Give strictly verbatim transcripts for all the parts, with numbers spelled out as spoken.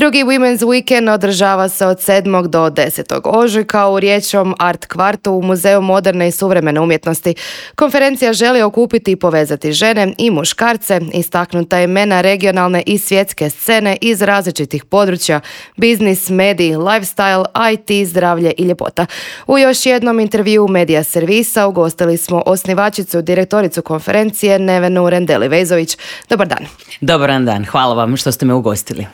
Drugi Women's Weekend održava se od sedmog do desetog ožujka u riječkom Art kvartu u Muzeju moderne i suvremene umjetnosti. Konferencija želi okupiti i povezati žene i muškarce, istaknuta imena regionalne i svjetske scene iz različitih područja, biznis, mediji, lifestyle, I T, zdravlje i ljepota. U još jednom intervjuu Medija servisa ugostili smo osnivačicu, direktoricu konferencije Nevenu Rendeli-Vezović. Dobar dan. Dobar dan, hvala vam što ste me ugostili.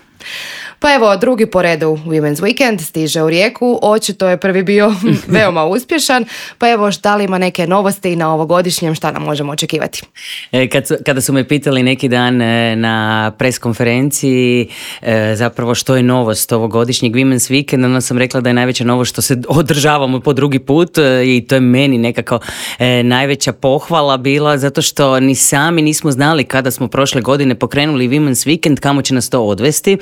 Pa evo, drugi po redu Women's Weekend stiže u Rijeku, očito je prvi bio veoma uspješan, pa evo, šta li ima neke novosti na ovogodišnjem, šta nam možemo očekivati? E, kad, kada su me pitali neki dan e, na pres konferenciji e, zapravo što je novost ovogodišnjeg Women's Weekend, onda sam rekla da je najveća novost što se održavamo po drugi put e, i to je meni nekako e, najveća pohvala bila, zato što ni sami nismo znali kada smo prošle godine pokrenuli Women's Weekend, kamo će nas to odvesti.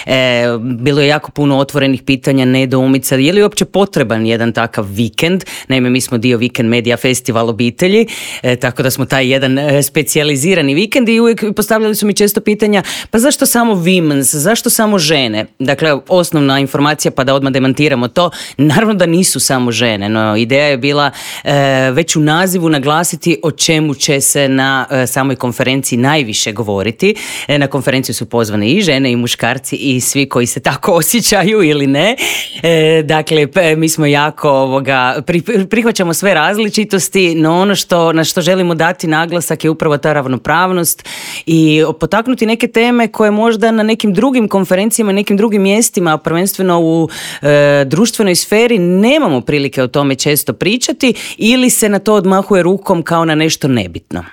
E, Bilo je jako puno otvorenih pitanja, nedoumica, je li uopće potreban jedan takav vikend? Naime, mi smo dio Weekend Media Festival obitelji, e, tako da smo taj jedan e, specijalizirani vikend i uvijek postavljali su mi često pitanja, pa zašto samo women's, zašto samo žene? Dakle, osnovna informacija, pa da odmah demantiramo to, naravno da nisu samo žene, no ideja je bila e, već u nazivu naglasiti o čemu će se na e, samoj konferenciji najviše govoriti. E, na konferenciju su pozvane i žene i muškarci i svi koji se tako osjećaju ili ne. E, dakle, mi smo jako ovoga, pri, prihvaćamo sve različitosti, no ono što, na što želimo dati naglasak je upravo ta ravnopravnost i potaknuti neke teme koje možda na nekim drugim konferencijama, nekim drugim mjestima, prvenstveno u e, društvenoj sferi, nemamo prilike o tome često pričati ili se na to odmahuje rukom kao na nešto nebitno.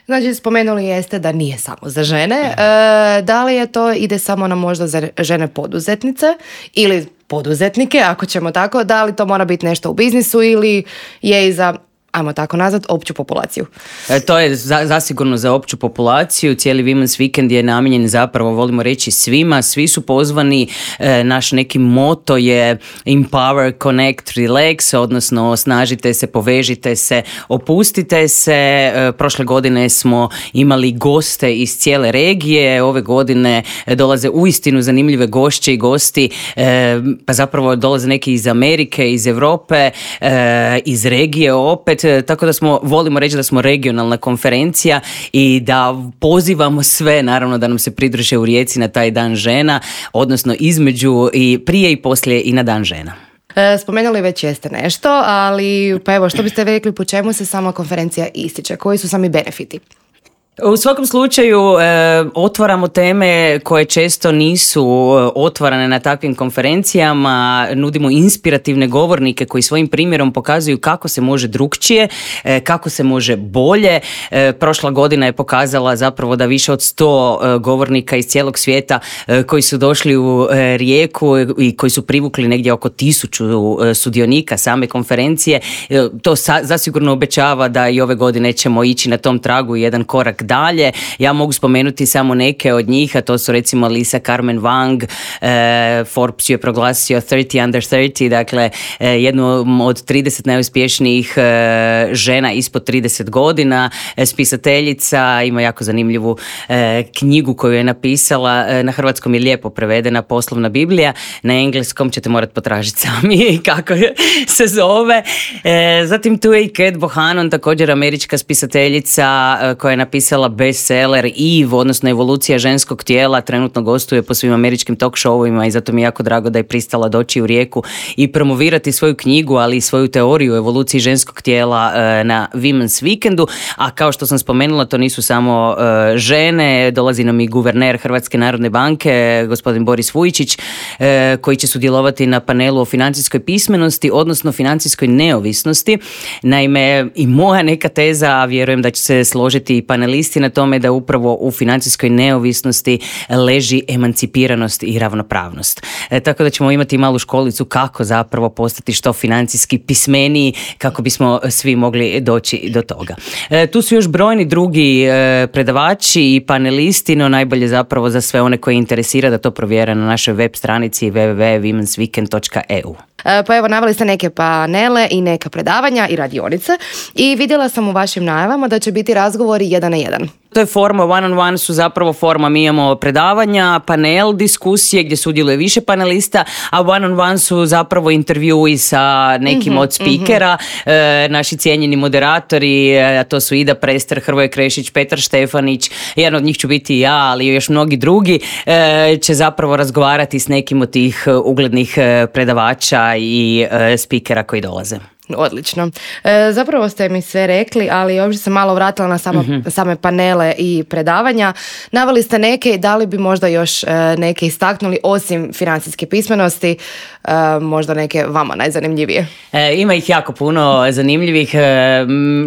Znači, spomenuli jeste da nije samo za žene. E, da li je to ide samo na možda za žene poduzetnice ili poduzetnike, ako ćemo tako, da li to mora biti nešto u biznisu ili je i za, ajmo tako nazvat, opću populaciju? E, to je za, zasigurno za opću populaciju. Cijeli Women's Weekend je namijenjen zapravo, volimo reći, svima. Svi su pozvani. E, naš neki moto je Empower, Connect, Relax, odnosno osnažite se, povežite se, opustite se. E, prošle godine smo imali goste iz cijele regije. Ove godine dolaze uistinu zanimljive gošće i gosti. E, pa zapravo dolaze neki iz Amerike, iz Europe, e, iz regije opet. Tako da smo, volimo reći da smo regionalna konferencija i da pozivamo sve, naravno, da nam se pridruže u Rijeci na taj dan žena, odnosno između i prije i poslije i na dan žena. Spomenuli već jeste nešto, ali pa evo, što biste rekli, po čemu se sama konferencija ističe? Koji su sami benefiti? U svakom slučaju e, otvaramo teme koje često nisu otvarane na takvim konferencijama, nudimo inspirativne govornike koji svojim primjerom pokazuju kako se može drukčije, e, kako se može bolje. E, prošla godina je pokazala zapravo da više od sto e, govornika iz cijelog svijeta e, koji su došli u e, Rijeku i koji su privukli negdje oko tisuću e, sudionika same konferencije. E, to sa, zasigurno obećava da i ove godine ćemo ići na tom tragu jedan korak dalje. Ja mogu spomenuti samo neke od njih, a to su recimo Lisa Carmen Wang, e, Forbes ju je proglasio trideset under trideset, dakle e, jednu od trideset najuspješnijih e, žena ispod trideset godina, e, spisateljica, ima jako zanimljivu e, knjigu koju je napisala, e, na hrvatskom je lijepo prevedena, Poslovna Biblija, na engleskom ćete morati potražiti sami kako se zove. E, zatim tu je i Kate Bohannon, također američka spisateljica e, koja je napisala bestseller Eve, odnosno Evolucija ženskog tijela, trenutno gostuje po svim američkim talk showovima i zato mi je jako drago da je pristala doći u Rijeku i promovirati svoju knjigu, ali i svoju teoriju o evoluciji ženskog tijela na Women's Weekendu. A kao što sam spomenula, to nisu samo žene, dolazi nam i guverner Hrvatske narodne banke, gospodin Boris Vujčić, koji će sudjelovati na panelu o financijskoj pismenosti, odnosno financijskoj neovisnosti. Naime, i moja neka teza, a vjerujem da će se složiti i panelisti na tome, da upravo u financijskoj neovisnosti leži emancipiranost i ravnopravnost. E, tako da ćemo imati malu školicu kako zapravo postati što financijski pismeniji, kako bismo svi mogli doći do toga. E, tu su još brojni drugi e, predavači i panelisti, no najbolje zapravo za sve one koji interesira da to provjere na našoj web stranici w w w dot women's weekend dot e u. Pa evo, naveli ste neke panele i neka predavanja i radionice i vidjela sam u vašim najavama da će biti razgovori jedan na jedan. To je forma, one on one su zapravo forma, mi imamo predavanja, panel, diskusije gdje sudjeluje više panelista, a one on one su zapravo intervjui sa nekim mm-hmm, od speakera, mm-hmm. e, naši cijenjeni moderatori, a to su Ida Prester, Hrvoje Krešić, Petar Štefanić, jedan od njih ću biti ja, ali još mnogi drugi, e, će zapravo razgovarati s nekim od tih uglednih predavača i e, speakera koji dolaze. Odlično. E, zapravo ste mi sve rekli, ali ovdje sam malo vratila na sama, mm-hmm. same panele i predavanja. Naveli ste neke i da li bi možda još e, neke istaknuli osim financijske pismenosti, e, možda neke vama najzanimljivije? E, ima ih jako puno zanimljivih. E,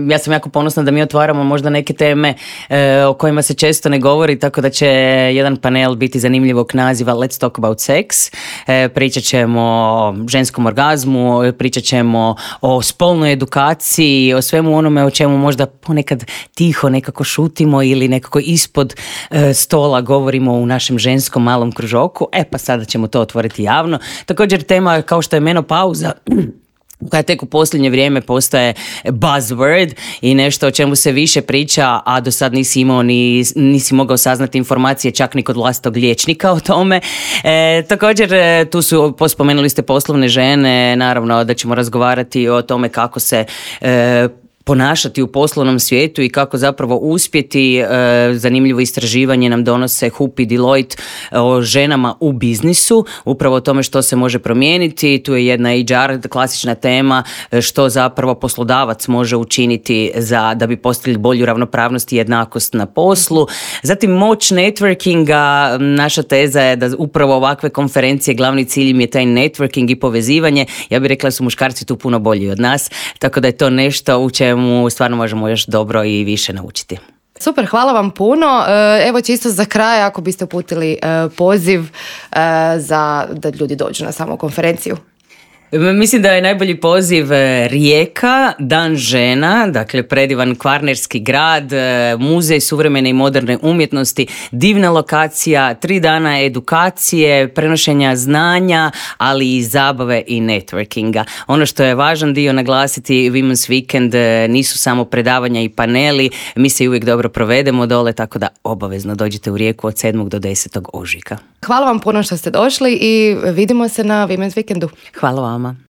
ja sam jako ponosna da mi otvaramo možda neke teme e, o kojima se često ne govori, tako da će jedan panel biti zanimljivog naziva Let's Talk About Sex. E, pričat ćemo o ženskom orgazmu, pričat ćemo o o spolnoj edukaciji, o svemu onome o čemu možda ponekad tiho nekako šutimo ili nekako ispod e, stola govorimo u našem ženskom malom kružoku. E pa sada ćemo to otvoriti javno. Također tema kao što je menopauza, koja tek u posljednje vrijeme postaje buzzword i nešto o čemu se više priča, a do sad nisi imao ni, nisi mogao saznati informacije čak ni kod vlastitog liječnika o tome. E, također tu su, spomenuli ste poslovne žene, naravno da ćemo razgovarati o tome kako se e, ponašati u poslovnom svijetu i kako zapravo uspjeti. E, zanimljivo istraživanje nam donose H U P i Deloitte o ženama u biznisu, upravo o tome što se može promijeniti. Tu je jedna H R klasična tema, što zapravo poslodavac može učiniti za, da bi postigli bolju ravnopravnost i jednakost na poslu. Zatim moć networkinga, naša teza je da upravo ovakve konferencije glavni cilj im je taj networking i povezivanje. Ja bih rekla da su muškarci tu puno bolji od nas, tako da je to nešto u čemu mu stvarno možemo još dobro i više naučiti. Super, hvala vam puno. Evo čisto za kraj, ako biste uputili poziv za da ljudi dođu na samu konferenciju. Mislim da je najbolji poziv Rijeka, Dan žena, dakle predivan kvarnerski grad, muzej suvremene i moderne umjetnosti, divna lokacija, tri dana edukacije, prenošenja znanja, ali i zabave i networkinga. Ono što je važan dio naglasiti, Women's Weekend nisu samo predavanja i paneli, mi se uvijek dobro provedemo dole, tako da obavezno dođite u Rijeku od sedmog do desetog ožujka. Hvala vam puno što ste došli i vidimo se na Women's Weekendu. Hvala vam.